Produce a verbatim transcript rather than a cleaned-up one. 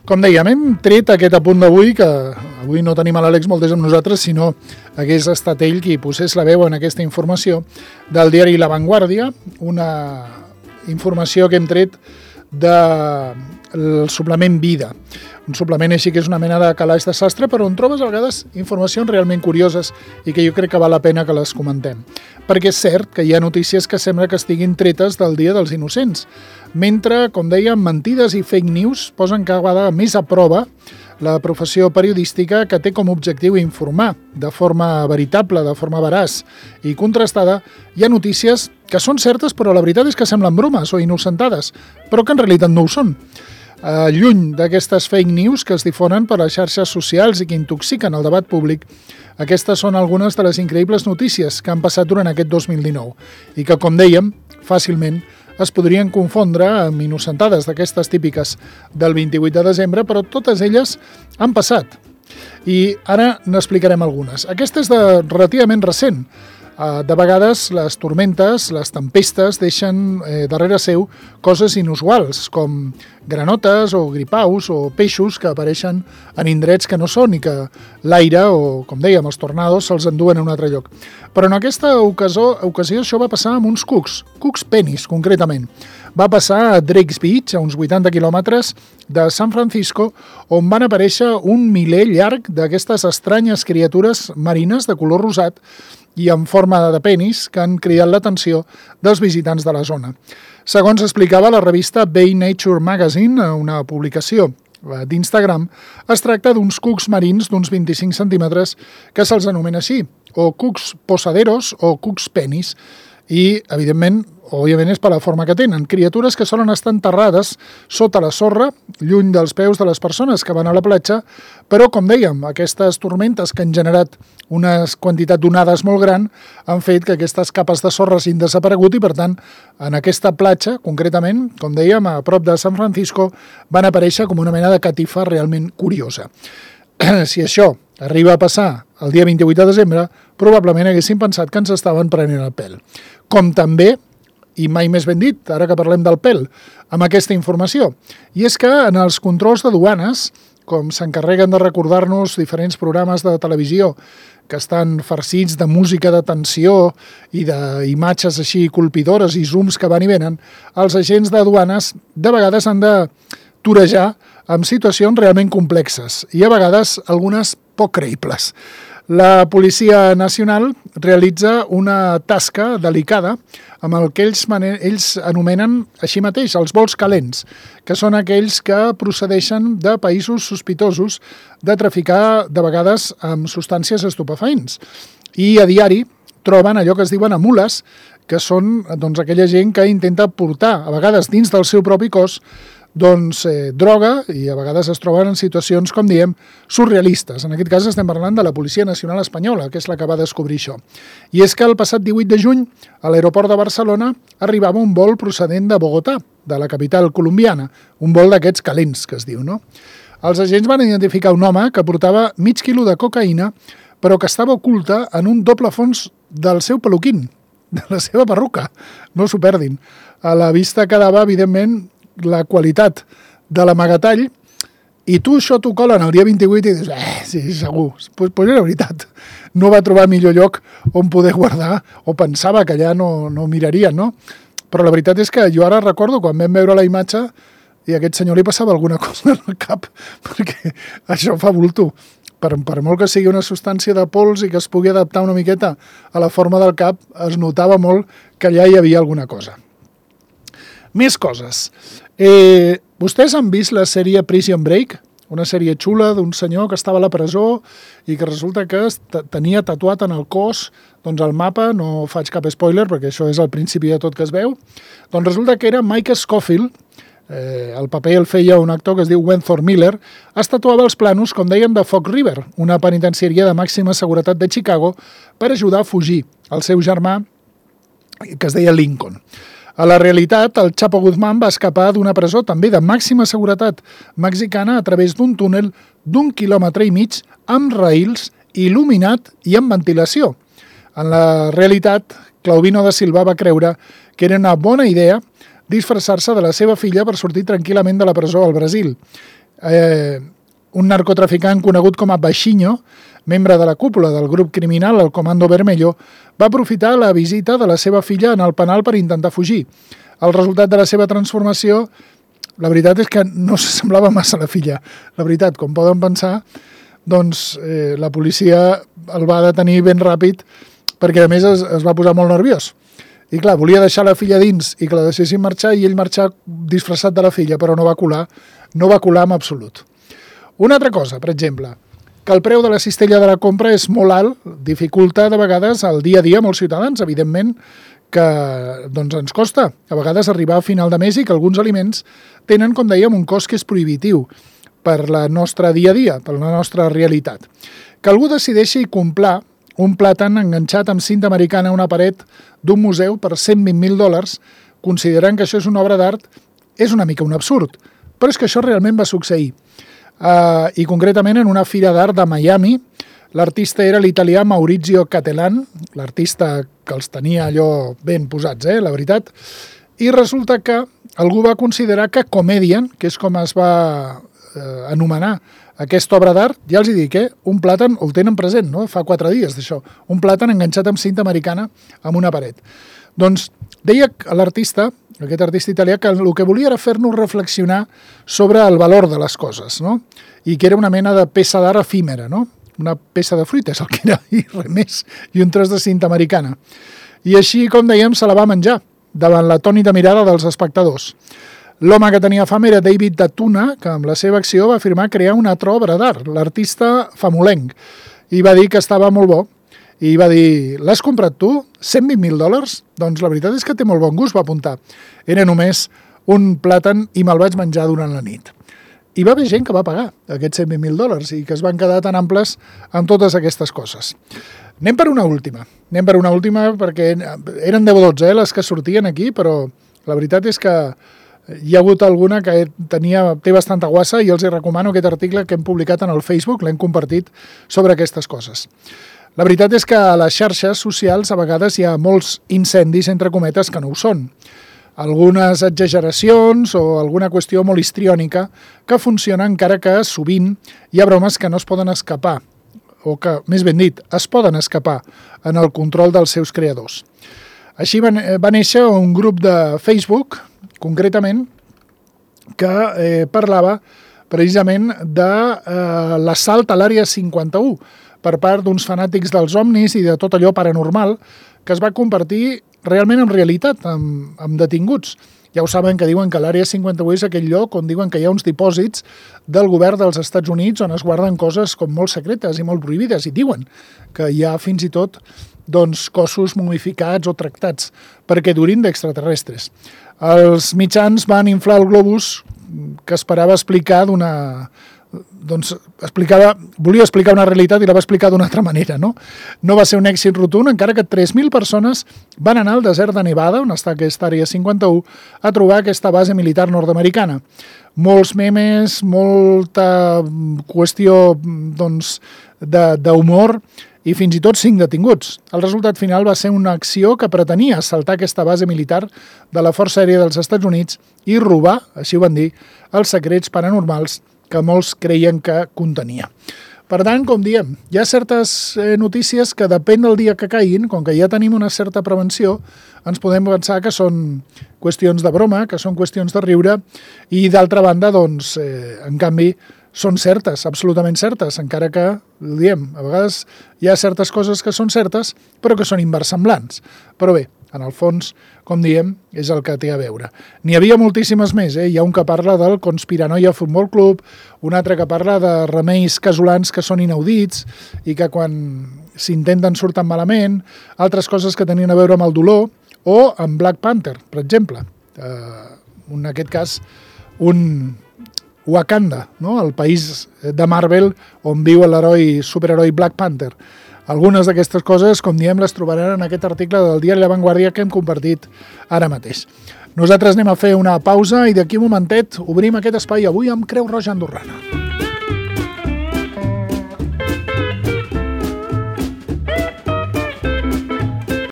Com dèiem, hem tret aquest apunt d'avui, que avui no tenim a l'Àlex Moltés amb nosaltres, sinó hagués estat ell qui posés la veu en aquesta informació del diari La Vanguardia, una informació que hem tret del suplement Vida. Un suplement així que és una mena de calaix de sastre, però on trobes a vegades informacions realment curioses i que jo crec que val la pena que les comentem. Perquè és cert que hi ha notícies que sembla que estiguin tretes del Dia dels Innocents, mentre, com dèiem, mentides i fake news posen cada vegada més a prova la professió periodística, que té com a objectiu informar de forma veritable, de forma veraç i contrastada. Hi ha notícies que són certes, però la veritat és que semblen bromes o innocentades, però que en realitat no ho són. Uh, lluny d'aquestes fake news que es difonen per les xarxes socials i que intoxiquen el debat públic, aquestes són algunes de les increïbles notícies que han passat durant aquest dos mil dinou i que, com dèiem, fàcilment es podrien confondre amb innocentades d'aquestes típiques del vint-i-vuit de desembre, però totes elles han passat. I ara n'explicarem algunes. Aquesta és de relativament recent. De vegades les tormentes, les tempestes, deixen eh, darrere seu coses inusuals, com granotes o gripaus o peixos que apareixen en indrets que no són i que l'aire o, com dèiem, els tornados se'ls enduen a un altre lloc. Però en aquesta ocasió, ocasió això va passar amb uns cucs, cucs penis concretament. Va passar a Drake's Beach, a uns vuitanta quilòmetres de San Francisco, on van aparèixer un miler llarg d'aquestes estranyes criatures marines de color rosat i en forma de penis que han cridat l'atenció dels visitants de la zona. Segons explicava la revista Bay Nature Magazine, una publicació d'Instagram, es tracta d'uns cucs marins d'uns vint-i-cinc centímetres que se'ls anomena així, o cucs posaderos o cucs penis, i, evidentment, òbviament és per la forma que tenen. Criatures que solen estar enterrades sota la sorra, lluny dels peus de les persones que van a la platja, però, com dèiem, aquestes tormentes que han generat una quantitat d'onades molt gran han fet que aquestes capes de sorra hagin desaparegut i, per tant, en aquesta platja, concretament, com dèiem, a prop de San Francisco, van aparèixer com una mena de catifa realment curiosa. Si això arriba a passar el dia vint-i-vuit de desembre, probablement haguéssim pensat que ens estaven prenent el pèl. Com també, i mai més ben dit, ara que parlem del pèl, amb aquesta informació. I és que en els controls de duanes, com s'encarreguen de recordar-nos diferents programes de televisió que estan farcits de música de tensió i d'imatges així colpidores i zooms que van i venen, els agents de duanes de vegades han de torejar amb situacions realment complexes i a vegades algunes poc creïbles. La Policia Nacional realitza una tasca delicada amb el que ells, ells anomenen així mateix els vols calents, que són aquells que procedeixen de països sospitosos de traficar de vegades amb substàncies estupefaents. I a diari troben allò que es diuen amules, que són doncs, aquella gent que intenta portar, a vegades dins del seu propi cos, doncs, eh, droga, i a vegades es troben en situacions, com diem, surrealistes. En aquest cas estem parlant de la Policia Nacional Espanyola, que és la que va descobrir això. I és que el passat divuit de juny, a l'aeroport de Barcelona, arribava un vol procedent de Bogotà, de la capital colombiana, un vol d'aquests calents, que es diu, no? Els agents van identificar un home que portava mig quilo de cocaïna, però que estava oculta en un doble fons del seu peluquín, de la seva perruca. No s'ho perdin. A la vista quedava, evidentment, la qualitat de l'amagatall, i tu això t'ho colen el dia vint-i-vuit i dius, eh, sí, segur, pues, pues era veritat. No va trobar millor lloc on poder guardar, o pensava que allà no, no mirarien, no? Però la veritat és que jo ara recordo quan vam veure la imatge i a aquest senyor li passava alguna cosa al cap, perquè això fa bulto. Per, per molt que sigui una substància de pols i que es pugui adaptar una miqueta a la forma del cap, es notava molt que allà hi havia alguna cosa. Més coses. Eh, vostès han vist la sèrie Prison Break? Una sèrie xula d'un senyor que estava a la presó i que resulta que tenia tatuat en el cos doncs el mapa, no faig cap spoiler perquè això és el principi de tot que es veu, doncs resulta que era Mike Scofield, eh, el paper el feia un actor que es diu Wentworth Miller, es tatuava els planos, com dèiem, de Fox River, una penitenciària de màxima seguretat de Chicago, per ajudar a fugir el seu germà, que es deia Lincoln. A la realitat, el Chapo Guzmán va escapar d'una presó també de màxima seguretat mexicana a través d'un túnel d'un quilòmetre i mig amb raïls, il·luminat i amb ventilació. En la realitat, Claudino da Silva va creure que era una bona idea disfressar-se de la seva filla per sortir tranquil·lament de la presó al Brasil. eh, un narcotraficant conegut com a Baixinho, membre de la cúpula del grup criminal, el Comando Vermelho, va aprofitar la visita de la seva filla en el penal per intentar fugir. El resultat de la seva transformació, la veritat és que no s'assemblava massa a la filla. La veritat, com poden pensar, doncs eh, la policia el va detenir ben ràpid perquè a més es, es va posar molt nerviós. I clar, volia deixar la filla dins i que la deixessin marxar i ell marxar disfressat de la filla, però no va colar, no va colar en absolut. Una altra cosa, per exemple, que el preu de la cistella de la compra és molt alt, dificulta de vegades el dia a dia a molts ciutadans, evidentment que doncs, ens costa a vegades arribar a final de mes i que alguns aliments tenen, com dèiem, un cost que és prohibitiu per la nostra dia a dia, per la nostra realitat. Que algú decideixi comprar un plàtan enganxat amb cinta americana a una paret d'un museu per cent vint mil dòlars, considerant que això és una obra d'art, és una mica un absurd. Però és que això realment va succeir. Uh, I concretament en una fira d'art de Miami, l'artista era l'italià Maurizio Cattelan, l'artista que els tenia allò ben posats, eh, la veritat, i resulta que algú va considerar que Comedian, que és com es va eh, anomenar aquesta obra d'art, ja els hi dic, eh, un plàtan, el tenen present, no? Fa quatre dies d'això, un plàtan enganxat amb cinta americana amb una paret. Doncs deia l'artista, aquest artista italià, que el que volia era fer-nos reflexionar sobre el valor de les coses, no? I que era una mena de peça d'art efímera, no? Una peça de fruita, és el que era, i res més, i un tros de cinta americana. I així, com dèiem, se la va menjar, davant l'atònita mirada dels espectadors. L'home que tenia fam era David Datuna, que amb la seva acció va afirmar crear una altra obra d'art, l'artista famolenc, i va dir que estava molt bo, i va dir, l'has comprat tu? cent vint mil dòlars? Doncs la veritat és que té molt bon gust, va apuntar. Era només un plàtan i me'l vaig menjar durant la nit. I va haver gent que va pagar aquests cent vint mil dòlars i que es van quedar tan amples amb totes aquestes coses. Anem per una última. Anem per una última perquè eren deu o dotze eh, les que sortien aquí, però la veritat és que hi ha hagut alguna que tenia, té bastanta guassa i els hi recomano aquest article que hem publicat en el Facebook, l'hem compartit sobre aquestes coses. La veritat és que a les xarxes socials a vegades hi ha molts incendis, entre cometes, que no ho són. Algunes exageracions o alguna qüestió molt histriònica que funciona encara que sovint hi ha bromes que no es poden escapar, o que, més ben dit, es poden escapar en el control dels seus creadors. Així va, va néixer un grup de Facebook, concretament, que eh, parlava precisament de eh, l'assalt a l'àrea cinquanta-u per part d'uns fanàtics dels ovnis i de tot allò paranormal que es va convertir realment en realitat, amb, amb detinguts. Ja ho saben que diuen que l'àrea cinquanta-u és aquell lloc on diuen que hi ha uns dipòsits del govern dels Estats Units on es guarden coses com molt secretes i molt prohibides i diuen que hi ha fins i tot doncs, cossos momificats o tractats perquè durin d'extraterrestres. Els mitjans van inflar el globus que esperava explicar d'una... doncs explicava, volia explicar una realitat i la va explicar d'una altra manera, no? No va ser un èxit rotund, encara que tres mil persones van anar al desert de Nevada, on està aquesta àrea cinquanta-u, a trobar aquesta base militar nord-americana. Molts memes, molta qüestió doncs, d'humor i fins i tot cinc detinguts. El resultat final va ser una acció que pretenia assaltar aquesta base militar de la Força Aèria dels Estats Units i robar, així ho van dir, els secrets paranormals que molts creien que contenia. Per tant, com diem, hi ha certes eh, notícies que depèn del dia que caiguin, com que ja tenim una certa prevenció, ens podem pensar que són qüestions de broma, que són qüestions de riure, i d'altra banda, doncs, eh, en canvi, són certes, absolutament certes, encara que, diem, a vegades hi ha certes coses que són certes, però que són inversemblants. Però bé, en el fons, com diem, és el que té a veure. N'hi havia moltíssimes més, eh? Hi ha un que parla del Conspiranoia Futbol Club, un altre que parla de remeis casolans que són inaudits i que quan s'intenten surten malament, altres coses que tenien a veure amb el dolor, o amb Black Panther, per exemple. Eh, en aquest cas, un Wakanda, no? El país de Marvel on viu l'heroi, superheroi Black Panther. Algunes d'aquestes coses, com diem, les trobaran en aquest article del diari La Vanguardia que hem compartit ara mateix. Nosaltres anem a fer una pausa i d'aquí un momentet obrim aquest espai avui amb Creu Roja Andorrana.